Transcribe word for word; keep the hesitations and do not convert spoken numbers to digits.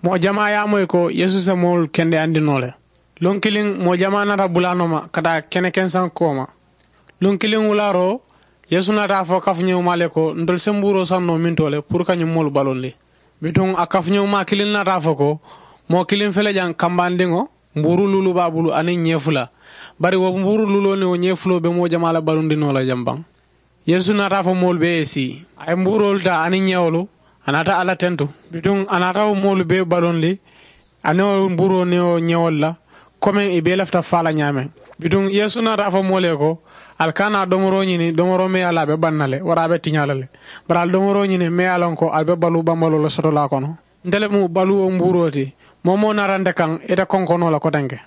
Moo jamaa ye a moyi ko yeesu se moolu kendeyandi noo le. Luŋ kiliŋ moo jamaa naata bulaanoo ma ka taa kene kensaŋ kooma. Luŋ kiliŋ wulaaroo yeesu naata a fo kafuñewumaa le ko ntolu se mbuuroo saŋ noo mintoo le puru ka ñiŋ moolu balundi. Bituŋ a kafuñewumaa kiliŋ naata a fo ko moo kiliŋ fele jaŋ kambandiŋo mbuuru luulu be a bulu aniŋ ñee fula. Bari wo mbuuru luuloo niŋ wo ñee fuloo be moo jamaa la balundi noo la jaŋ baŋ. Yeesu naata a fo moolu bee ye sii a ye mbuuroolu taa aniŋ ñewolu. A naata alla tentu bituŋ a naata wo moolu bee balundi aniŋ wo mbuuroo niŋ wo ñewolu la. Komeŋ ì bee lafita faa la ñaameŋ. Bituŋ yeesu naata a fo moolu ye ko ali kana domoroo ñini domoroo meŋ ye a la a be baŋ na le wara a be tiñaa la le. Bari ali domoroo ñini meŋ ye a loŋ ko ali be baluu bambaloo la sotolaa kono. Nte le mu baluwo mbuuroo ti. Moo moo naata nte kaŋ ite konkonoo la kotenke.